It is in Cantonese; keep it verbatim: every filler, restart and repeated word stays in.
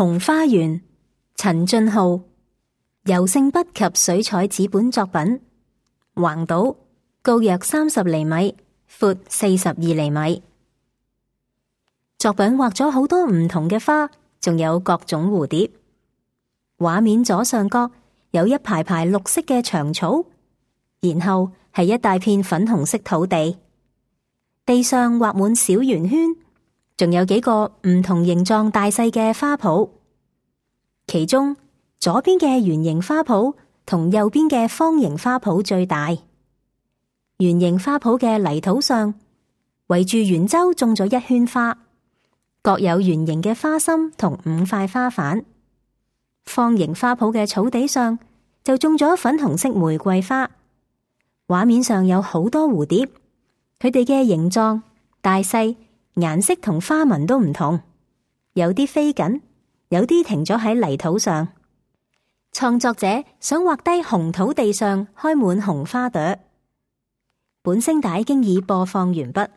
紅花園，陳俊浩，油性筆及水彩紙本作品，橫島，高約三十厘米，闊四十二厘米。作品畫咗好多唔同嘅花，仲有各種蝴蝶。畫面左上角有一排排綠色嘅長草，然後係一大片粉紅色土地，地上畫滿小圓圈，仲有幾個唔同形狀大細嘅花圃。其中左邊嘅圓形花圃同右邊嘅方形花圃最大。圓形花圃嘅泥土上圍住圓周種咗一圈花，各有圓形嘅花心同五塊花瓣。方形花圃嘅草地上就種咗粉紅色玫瑰花。畫面上有好多蝴蝶，佢哋嘅形狀、大細、顏色同花紋都唔同，有啲飛緊，有啲停咗喺泥土上。創作者想畫低紅土地上開滿紅花朵。本聲帶經已播放完畢。